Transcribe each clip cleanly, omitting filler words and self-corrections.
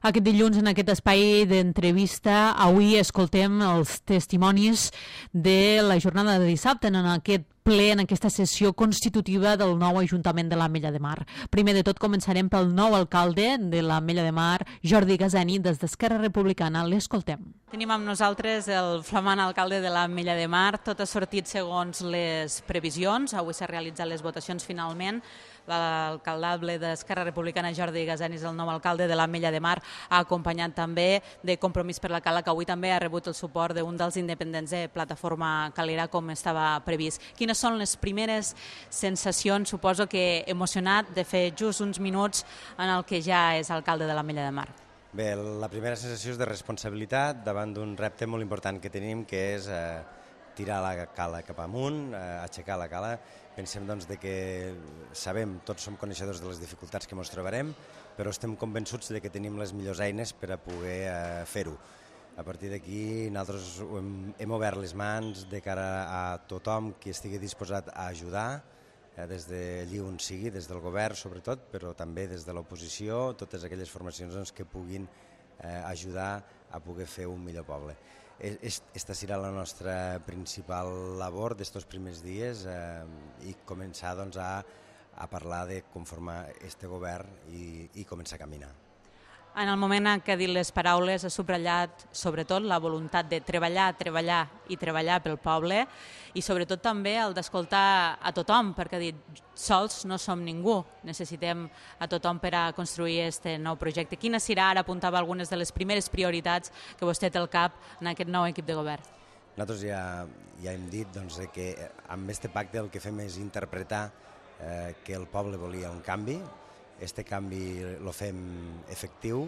Aquest dilluns, en aquest espai d'entrevista, avui escoltem els testimonis de la jornada de dissabte en aquest ple, en aquesta sessió constitutiva del nou Ajuntament de l'Ametlla de Mar. Primer de tot començarem pel nou alcalde de l'Ametlla de Mar, Jordi Gaseni, des d'Esquerra Republicana. L'escoltem. Tenim amb nosaltres el flamant alcalde de l'Ametlla de Mar. Tot ha sortit segons les previsions. Avui s'ha realitzat les votacions finalment. L'alcaldable d'Esquerra Republicana, Jordi Gaseni, és el nou alcalde de l'Ametlla de Mar, ha acompanyat també de Compromís per la Cala, que avui també ha rebut el suport d'un dels independents de Plataforma Calera, com estava previst. Quines són les primeres sensacions, suposo que emocionat, de fer just uns minuts en el que ja és alcalde de l'Ametlla de Mar? Bé, la primera sensació és de responsabilitat davant d'un repte molt important que tenim, que és tirar la cala cap amunt, aixecar la cala. Pensem doncs, que sabem, tots som coneixedors de les dificultats que ens trobarem, però estem convençuts de que tenim les millors eines per a poder fer-ho. A partir d'aquí nosaltres hem obert les mans de cara a tothom que estigui disposat a ajudar, des d'allí on sigui, des del govern sobretot, però també des de l'oposició, totes aquelles formacions que puguin ajudar a poder fer un millor poble. Esta serà la nostra principal labor d'estos primers dies i començar a parlar de conformar este govern i començar a caminar. En el moment en què ha dit les paraules ha subratllat sobretot la voluntat de treballar, treballar i treballar pel poble i sobretot també el d'escoltar a tothom, perquè ha dit sols no som ningú, necessitem a tothom per a construir aquest nou projecte. Quina serà, ara apuntava algunes de les primeres prioritats que vostè té al cap en aquest nou equip de govern? Nosaltres ja hem dit que amb aquest pacte el que fem és interpretar que el poble volia un canvi. Este canvi el fem efectiu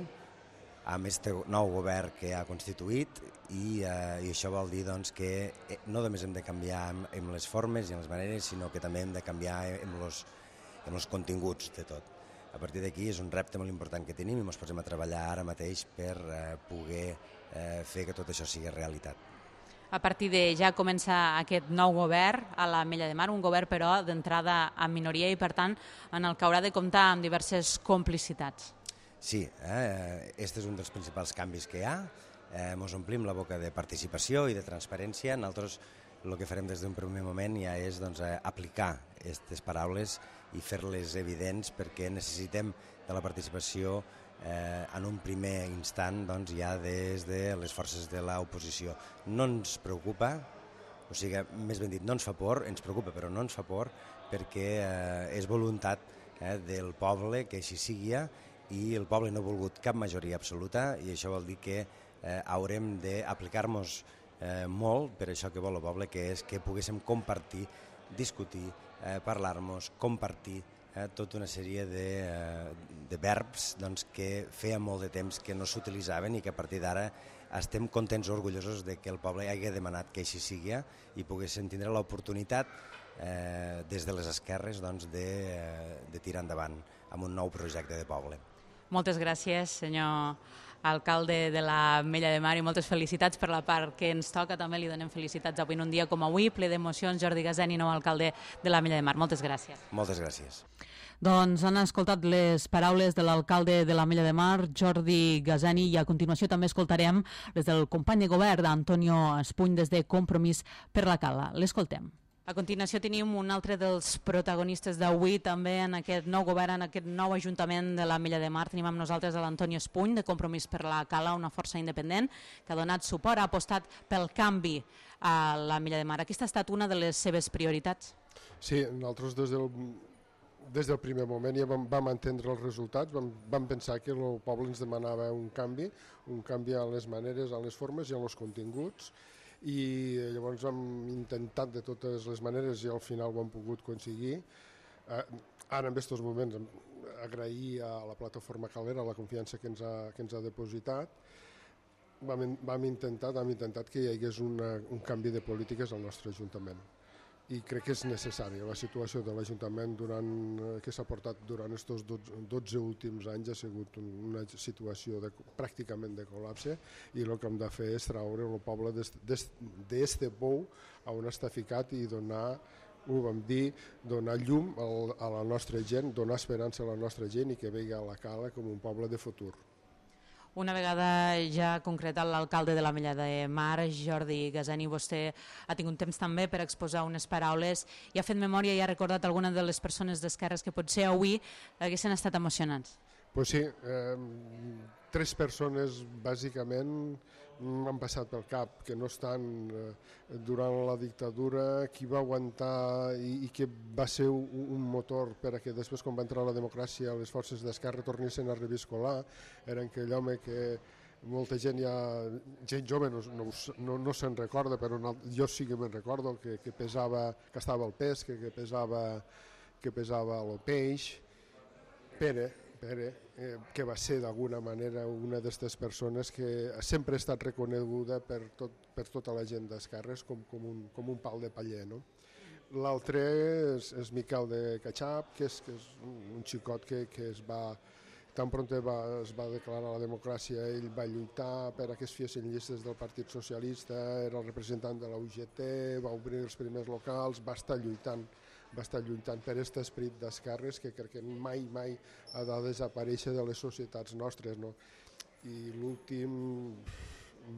amb este nou govern que ha constituït i això vol dir que no només hem de canviar en les formes i en les maneres, sinó que també hem de canviar en els continguts de tot. A partir d'aquí és un repte molt important que tenim i ens posem a treballar ara mateix per poder fer que tot això sigui realitat. A partir de ja comença aquest nou govern a l'Ametlla de Mar, un govern però d'entrada en minoria i per tant en el que haurà de comptar amb diverses complicitats. Sí, aquest és un dels principals canvis que hi ha. Ens omplim la boca de participació i de transparència. Nosaltres el que farem des d'un primer moment ja és aplicar aquestes paraules i fer-les evidents perquè necessitem de la participació en un primer instant ja des de les forces de l'oposició. No ens preocupa, o sigui, més ben dit, no ens fa por, ens preocupa però no ens fa por perquè és voluntat del poble que així sigui i el poble no ha volgut cap majoria absoluta i això vol dir que haurem d'aplicar-nos molt per això que vol el poble, que és que poguéssim compartir, discutir, parlar-nos, compartir tota una sèrie de verbs que feia molt de temps que no s'utilitzaven i que a partir d'ara estem contents o orgullosos de que el poble hagi demanat que així sigui i poguéssim tindre l'oportunitat des de les esquerres de tirar endavant amb un nou projecte de poble. Moltes gràcies, senyor alcalde de l'Ametlla de Mar, i moltes felicitats per la part que ens toca. També li donem felicitats avui en un dia com avui, ple d'emocions. Jordi Gaseni, nou alcalde de l'Ametlla de Mar. Moltes gràcies. Moltes gràcies. Doncs han escoltat les paraules de l'alcalde de l'Ametlla de Mar, Jordi Gaseni, i a continuació també escoltarem les del company de govern, Antonio Espuny, des de Compromís per la Cala. L'escoltem. A continuació tenim un altre dels protagonistes d'avui també en aquest nou govern, en aquest nou Ajuntament de l'Ametlla de Mar. Tenim amb nosaltres l'Antonio Espuny, de Compromís per la Cala, una força independent que ha donat suport, ha apostat pel canvi a l'Ametlla de Mar. Aquesta ha estat una de les seves prioritats? Sí, nosaltres des del primer moment ja vam entendre els resultats, vam pensar que el poble ens demanava un canvi a les maneres, a les formes i a els continguts, i llavors hem intentat de totes les maneres i al final ho hem pogut aconseguir. Ara en aquests moments agrair a la Plataforma Calera la confiança que ens ha depositat. Vam intentar que hi hagués un canvi de polítiques al nostre Ajuntament i crec que és necessària. La situació de l'Ajuntament que s'ha portat durant aquests 12 últims anys ha sigut una situació pràcticament de col·lapse i el que hem de fer és treure el poble d'este pou on està ficat i donar, ho vam dir, donar llum a la nostra gent, donar esperança a la nostra gent i que vegi a la Cala com un poble de futur. Una vegada ja concretat l'alcalde de l'Ametlla de Mar, Jordi Gaseni, vostè ha tingut temps també per exposar unes paraules i ha fet memòria i ha recordat alguna de les persones d'esquerres que potser avui haguessin estat emocionants. Pues sí, 3 persones bàsicament m'han passat pel cap, que no estan durant la dictadura, qui va aguantar i que va ser un motor per a que després, quan va entrar la democràcia, les forces d'esquerra tornessin a reviscolar, era aquell home que molta gent gent jove no se'n recorda, però jo sí que me'n recordo, que pesava, que estava al pes, que pesava el peix. Pere, que va ser d'alguna manera una d'aquestes persones que sempre ha estat reconeguda per tota la gent d'esquerres com un pal de paller, no? L'altre és Miquel de Catxap, que és un xicot que tan pront es va declarar la democràcia, ell va lluitar per a que es fessin llistes del Partit Socialista, era el representant de la UGT, va obrir els primers locals, va estar lluitant per aquest esperit d'esquerres que crec que mai ha de desaparèixer de les societats nostres, no? I l'últim,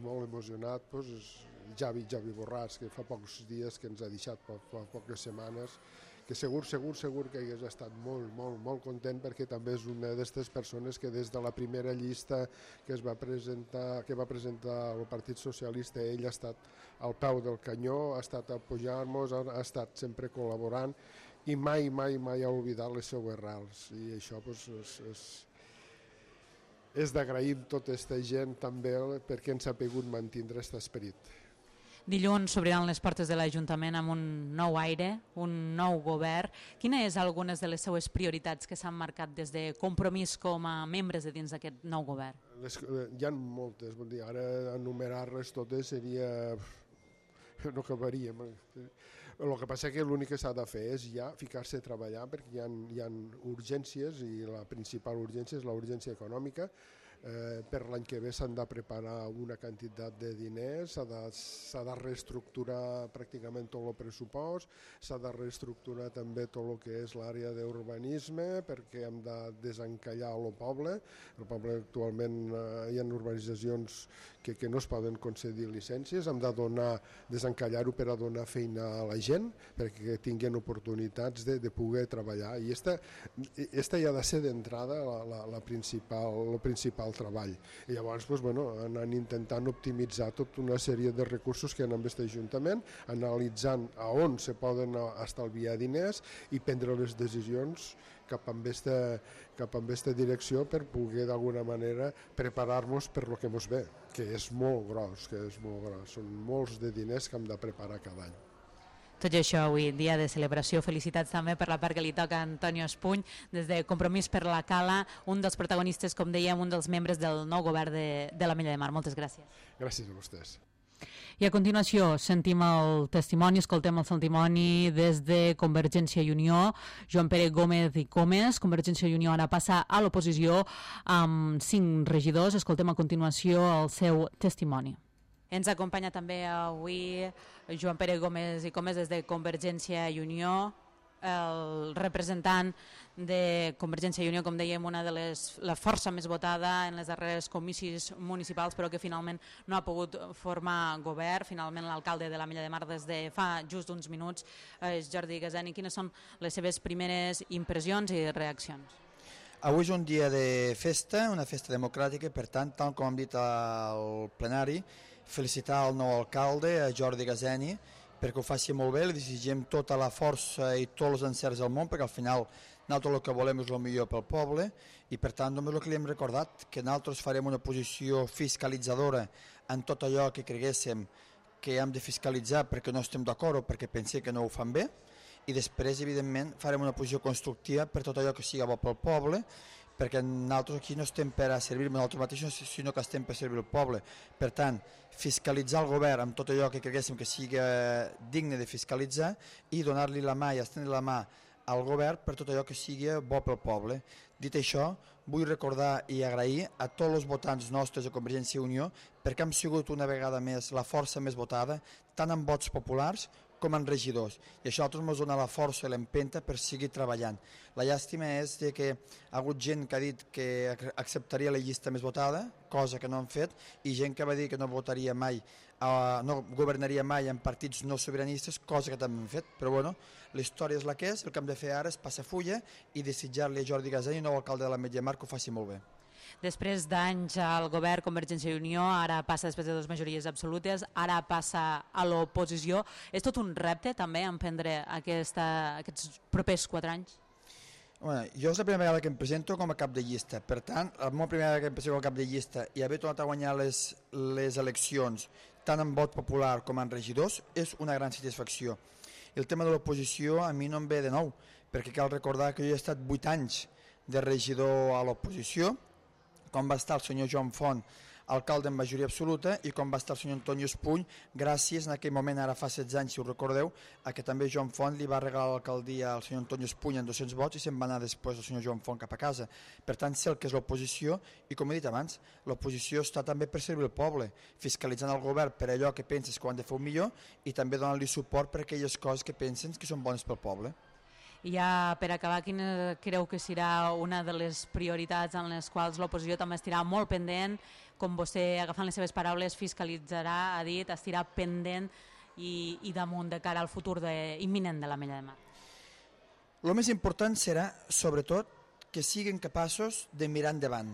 molt emocionat, és Javi Borràs, que fa pocs dies que ens ha deixat, fa poques setmanes, que segur que hagués estat molt content, perquè també és una d'aquestes persones que des de la primera llista que va presentar el Partit Socialista, ell ha estat al peu del canyó, ha estat apoyant-nos, ha estat sempre col·laborant i mai ha oblidat les seues arrels, i això és d'agrair a tota aquesta gent també perquè ens ha pogut mantenir aquest esperit. Dilluns s'obriran les portes de l'Ajuntament amb un nou aire, un nou govern. Quines és algunes de les seues prioritats que s'han marcat des de Compromís com a membres de dins d'aquest nou govern? Hi ha moltes, ara enumerar-les totes seria... no acabaríem. El que passa és que l'únic que s'ha de fer és ja ficar-se a treballar, perquè hi ha urgències i la principal urgència és la urgència econòmica. Per l'any que ve s'han de preparar una quantitat de diners, s'ha de reestructurar pràcticament tot el pressupost, s'ha de reestructurar també tot el que és l'àrea d'urbanisme, perquè hem de desencallar el poble. El poble actualment hi ha urbanitzacions que no es poden concedir llicències, hem de desencallar-ho per a donar feina a la gent, perquè tinguin oportunitats de poder treballar. I aquesta ja ha de ser d'entrada el principal treball. I llavors anant intentant optimitzar tota una sèrie de recursos que hi ha en aquest Ajuntament, analitzant a on se poden estalviar diners i prendre les decisions cap a aquesta direcció per poder d'alguna manera preparar-nos per el que ens ve, que és molt gros, són molts de diners que hem de preparar cada any. Tot i això, avui, dia de celebració, felicitats també per la part que li toca a Antonio Espuny, des de Compromís per la Cala, un dels protagonistes, com dèiem, un dels membres del nou govern de l'Ametlla de Mar. Moltes gràcies. Gràcies a vostès. I a continuació sentim el testimoni, escoltem el testimoni des de Convergència i Unió, Joan Pere Gómez i Comes. Convergència i Unió ara passa a l'oposició amb 5 regidors. Escoltem a continuació el seu testimoni. Ens acompanya també avui Joan Pere Gómez i Comes des de Convergència i Unió, el representant de Convergència i Unió, com dèiem, una de la força més votada en les darreres comicis municipals, però que finalment no ha pogut formar govern. Finalment l'alcalde de l'Ametlla de Mar des de fa just uns minuts és Jordi Gaseni. Quines són les seves primeres impressions i reaccions? Avui és un dia de festa, una festa democràtica, per tant, tal com hem dit al plenari, felicitar el nou alcalde, a Jordi Gaseni, perquè ho faci molt bé, li desitgem tota la força i tots els encerts del món, perquè al final nosaltres el que volem és el millor pel poble, i per tant només el que li hem recordat, que nosaltres farem una posició fiscalitzadora en tot allò que creguéssim que hem de fiscalitzar perquè no estem d'acord o perquè pensem que no ho fan bé, i després, evidentment, farem una posició constructiva per tot allò que sigui bo pel poble, perquè nosaltres aquí no estem per a servir-nos nosaltres mateixos, sinó que estem per servir el poble. Per tant, fiscalitzar el govern amb tot allò que creguéssim que sigui digne de fiscalitzar i donar-li la mà i estendre la mà al govern per tot allò que sigui bo pel poble. Dit això, vull recordar i agrair a tots els votants nostres de Convergència i Unió perquè hem sigut una vegada més la força més votada, tant en vots populars com a regidors, i això a nosaltres ens dona la força i l'empenta per seguir treballant. La llàstima és que ha hagut gent que ha dit que acceptaria la llista més votada, cosa que no han fet, i gent que va dir que no votaria mai, no governaria mai en partits no sobiranistes, cosa que també hem fet, però bueno, la història és la que és, el que hem de fer ara és passar fulla i desitjar-li a Jordi Gaseny, nou alcalde de l'Ametlla de Mar, que ho faci molt bé. Després d'anys al govern Convergència i Unió, ara passa després de 2 majories absolutes, ara passa a l'oposició. És tot un repte també emprendre aquests propers 4 anys? Bueno, jo és la primera vegada que em presento com a cap de llista, per tant, la meva primera vegada que em presento com a cap de llista i haver tornat a guanyar les eleccions tant en vot popular com en regidors és una gran satisfacció. I el tema de l'oposició a mi no em ve de nou, perquè cal recordar que jo he estat 8 anys de regidor a l'oposició, com va estar el senyor Joan Font, alcalde en majoria absoluta, i com va estar el senyor Antonio Espuny, gràcies en aquell moment, ara fa 16 anys, si us recordeu, a que també Joan Font li va regalar l'alcaldia al senyor Antonio Espuny en 200 vots i se'n va anar després el senyor Joan Font cap a casa. Per tant, sé el que és l'oposició i, com he dit abans, l'oposició està també per servir el poble, fiscalitzant el govern per allò que penses que ho han de fer millor i també donant-li suport per aquelles coses que pensen que són bones pel poble. I ja per acabar, quina creu que serà una de les prioritats en les quals l'oposició també estirà molt pendent, com vostè, agafant les seves paraules, fiscalitzarà, ha dit, estirà pendent i damunt de cara al futur imminent de l'Ametlla de Mar? El més important serà, sobretot, que siguin capaços de mirar endavant,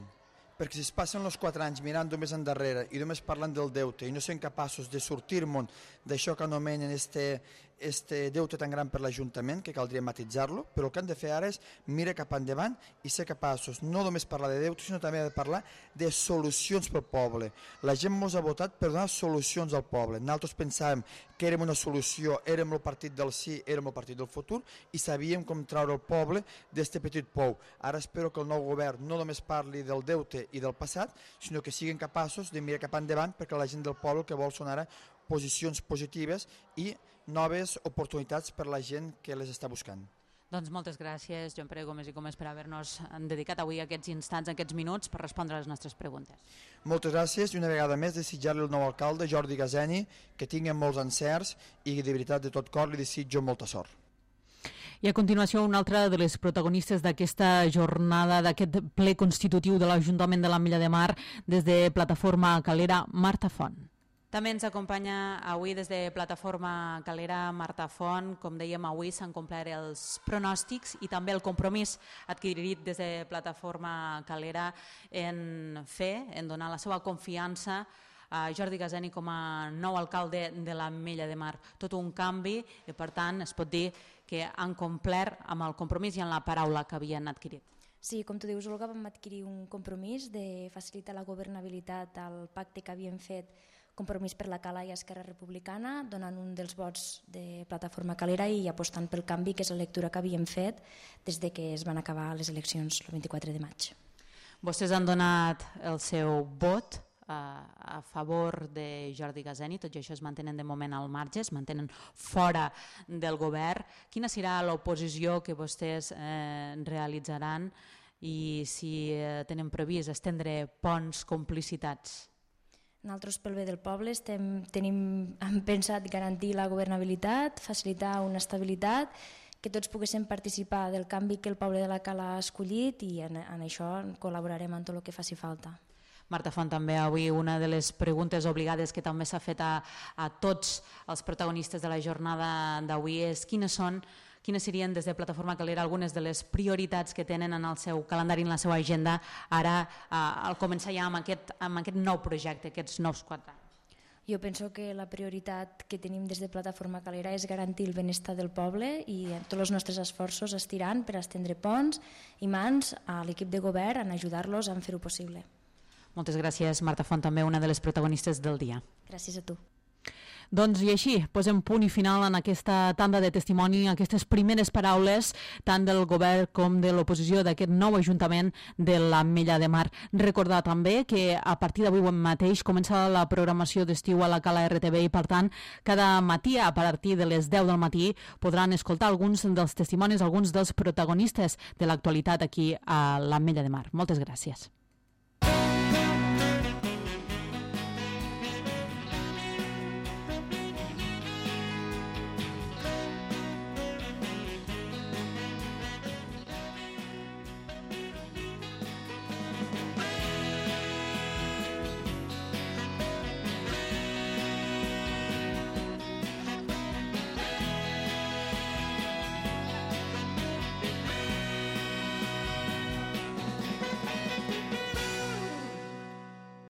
perquè si es passen els 4 anys mirant només endarrere i només parlant del deute i no sent capaços de sortir-me'n d'això que anomenen este deute tan gran per l'Ajuntament, que caldria matitzar-lo, però el que han de fer ara és mirar cap endavant i ser capaços no només parlar de deute, sinó també de parlar de solucions pel poble. La gent ens ha votat per donar solucions al poble. Nosaltres pensàvem que érem una solució, érem el partit del sí, érem el partit del futur i sabíem com treure el poble d'este petit pou. Ara espero que el nou govern no només parli del deute i del passat, sinó que siguin capaços de mirar cap endavant, perquè la gent del poble que vol són ara posicions positives i noves oportunitats per la gent que les està buscant. Doncs moltes gràcies, Joan Pere Gómez i Gómez, per haver-nos dedicat avui aquests instants, aquests minuts, per respondre a les nostres preguntes. Moltes gràcies i una vegada més desitjar-li al nou alcalde, Jordi Gaseny, que tingui molts encerts i de veritat de tot cor li desitjo molta sort. I a continuació una altra de les protagonistes d'aquesta jornada, d'aquest ple constitutiu de l'Ajuntament de l'Ametlla de Mar, des de Plataforma Calera, Marta Font. També ens acompanya avui des de Plataforma Calera Marta Font. Com dèiem, avui s'han complert els pronòstics i també el compromís adquirit des de Plataforma Calera en fer, en donar la seva confiança a Jordi Gaseny com a nou alcalde de l'Ametlla de Mar. Tot un canvi i, per tant, es pot dir que han complert amb el compromís i amb la paraula que havien adquirit. Sí, com tu dius, Olga, vam adquirir un compromís de facilitar la governabilitat al pacte que havíem fet Compromís per la Cala i Esquerra Republicana, donant un dels vots de Plataforma Calera i apostant pel canvi, que és la lectura que havíem fet des de que es van acabar les eleccions el 24 de maig. Vostès han donat el seu vot a favor de Jordi Gaseny, tot i això es mantenen de moment al marge, es mantenen fora del govern. Quina serà l'oposició que vostès realitzaran i si tenen previst estendre ponts, complicitats? Nosaltres, pel bé del poble, hem pensat garantir la governabilitat, facilitar una estabilitat, que tots poguéssim participar del canvi que el poble de la Cala ha escollit i en això col·laborarem en tot el que faci falta. Marta Font, també avui una de les preguntes obligades que també s'ha fet a tots els protagonistes de la jornada d'avui és quines serien des de Plataforma Calera algunes de les prioritats que tenen en el seu calendari, en la seva agenda, ara al començar ja amb aquest nou projecte, aquests nous 4 anys? Jo penso que la prioritat que tenim des de Plataforma Calera és garantir el benestar del poble i tots els nostres esforços estiran per estendre ponts i mans a l'equip de govern en ajudar-los a fer-ho possible. Moltes gràcies, Marta Font, també una de les protagonistes del dia. Gràcies a tu. Doncs i així posem punt i final en aquesta tanda de testimoni, aquestes primeres paraules tant del govern com de l'oposició d'aquest nou Ajuntament de l'Ametlla de Mar. Recordar també que a partir d'avui mateix comença la programació d'estiu a la Cala RTV i, per tant, cada matí a partir de les 10 del matí podran escoltar alguns dels testimonis, alguns dels protagonistes de l'actualitat aquí a l'Ametlla de Mar. Moltes gràcies.